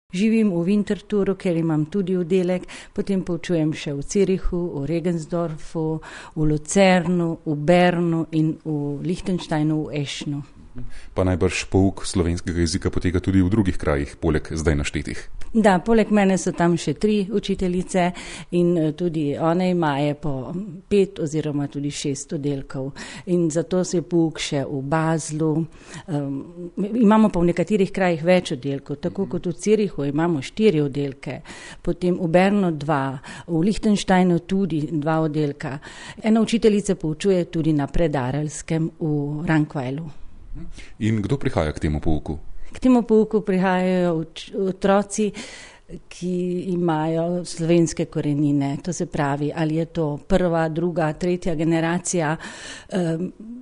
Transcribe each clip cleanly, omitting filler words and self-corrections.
Živim v Winterthuru, ker imam tudi oddelek, potem poučujem še v Zürichu, v Regensdorfu, v Lucernu, v Bernu in v Liechtensteinu, v Eschnu. Pa najbrž pouk slovenskega jezika poteka tudi v drugih krajih, poleg zdaj naštetih. Da, poleg mene so tam še 3 učiteljice in tudi one imajo po 5 oziroma tudi 6 oddelkov. In zato se je pouk še v Baslu. Imamo pa v nekaterih krajih več oddelkov, tako kot v Zürichu imamo 4 oddelke, potem v Bernu 2, v Liechtensteinu tudi 2 oddelka. Ena učiteljica poučuje tudi na Predarelskem v Rankweilu. In kdo prihaja k temu pouku? K temu pouku prihajajo otroci, ki imajo slovenske korenine. To se pravi, ali je to 1., 2., 3. generacija.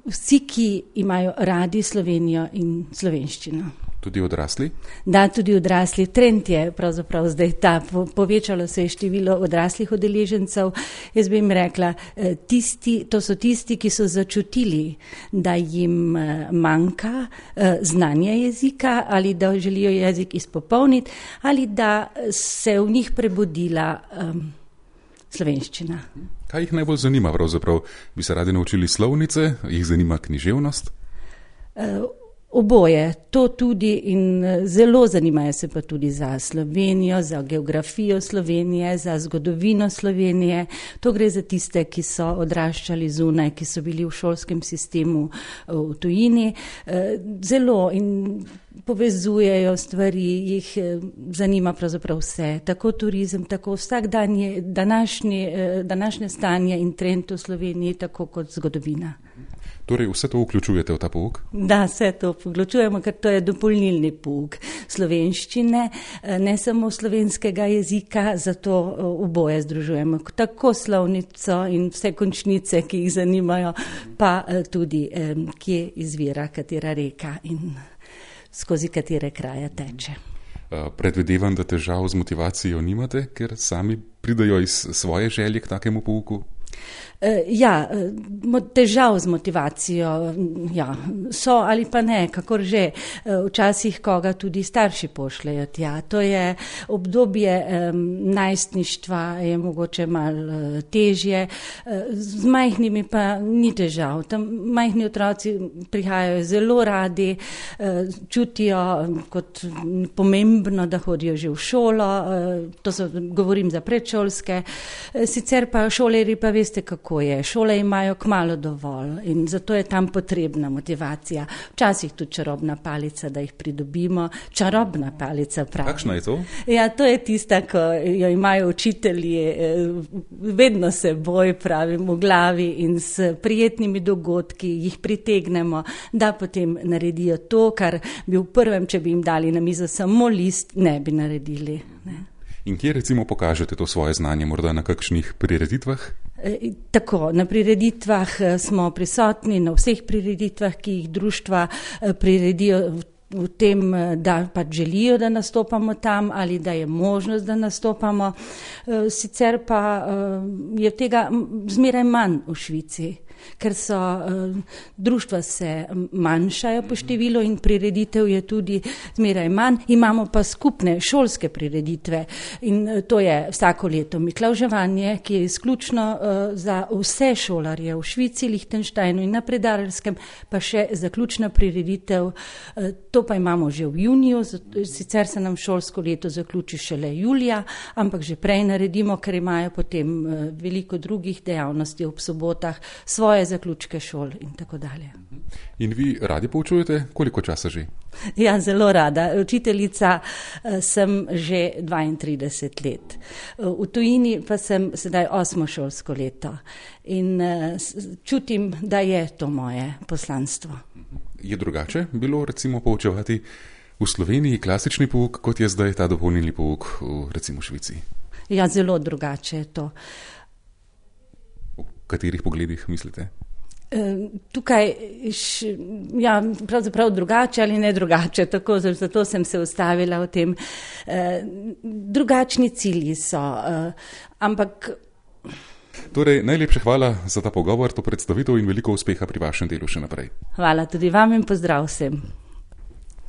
Vsi, ki imajo radi Slovenijo in slovenščino. Tudi odrasli? Da, tudi odrasli. Trend je pravzaprav zdaj ta. Povečalo se je število odraslih udeležencev. Jaz bi jim rekla, to so tisti, ki so začutili, da jim manjka znanje jezika ali da želijo jezik izpopolniti ali da se v njih prebudila slovenščina. Kaj jih najbolj zanima pravzaprav? Bi se radi naučili slovnice? Jih zanima književnost? Oboje, to tudi in zelo zanimajo se pa tudi za Slovenijo, za geografijo Slovenije, za zgodovino Slovenije. To gre za tiste, ki so odraščali zunaj, ki so bili v šolskem sistemu v tujini. Zelo in povezujejo stvari, jih zanima pravzaprav vse. Tako turizem, tako vsakdanje današnje stanje in trend v Sloveniji, tako kot zgodovina. Torej vse to vključujete v ta pouk? Da, vse to vključujemo, ker to je dopolnilni pouk slovenščine, ne samo slovenskega jezika, zato oboje združujemo. Tako slovnico in vse končnice, ki jih zanimajo, pa tudi kje izvira katera reka in skozi katere kraje teče. Predvidevam, da težav z motivacijo nimate, ker sami pridajo iz svoje želje k takemu pouku? Ja, težav z motivacijo, ja, so ali pa ne, kakor že. Včasih koga tudi starši pošljejo tja. To je obdobje najstništva, je mogoče malo težje. Z majhnimi pa ni težav. Tam majhni otroci prihajajo zelo radi, čutijo kot pomembno, da hodijo že v šolo, govorim za predšolske. Sicer pa šolarji pa veste, kako je. Šole imajo kmalu dovolj in zato je tam potrebna motivacija. Včasih tudi čarobna palica, da jih pridobimo. Čarobna palica pravi. Kakšna je to? Ja, to je tista, ko jo imajo učitelji vedno seboj, pravim, v glavi in s prijetnimi dogodki jih pritegnemo, da potem naredijo to, kar bi v prvem, če bi jim dali na mizo samo list, ne bi naredili. Ne. In kje recimo pokažete to svoje znanje, morda na kakšnih prireditvah? Tako, na prireditvah smo prisotni, na vseh prireditvah, ki jih društva priredijo v tem, da pač želijo, da nastopamo tam ali da je možnost, da nastopamo. Sicer pa je tega zmeraj manj v Švici, ker so društva se manjšajo po številu in prireditev je tudi zmeraj manj. Imamo pa skupne šolske prireditve in to je vsako leto miklavževanje, ki je izključno za vse šolarje v Švici, Liechtensteinu in na Predarelskem, pa še zaključna prireditev. To pa imamo že v juniju, sicer se nam šolsko leto zaključi šele julija, ampak že prej naredimo, ker imajo potem veliko drugih dejavnosti ob sobotah, svoje zaključke šol in tako dalje. In vi radi poučujete? Koliko časa že? Ja, zelo rada. Učiteljica sem že 32 let. V tujini pa sem sedaj 8. šolsko leto in čutim, da je to moje poslanstvo. Je drugače bilo recimo poučevati v Sloveniji klasični pouk, kot je zdaj ta dopolnilni pouk v recimo Švici? Ja, zelo drugače je to. V katerih pogledih mislite? Tukaj, ja, pravzaprav drugače ali ne drugače, tako, zato sem se ustavila v tem. Drugačni cilji so, ampak... Torej, najlepša hvala za ta pogovor, to predstavitev in veliko uspeha pri vašem delu še naprej. Hvala tudi vam in pozdrav vsem.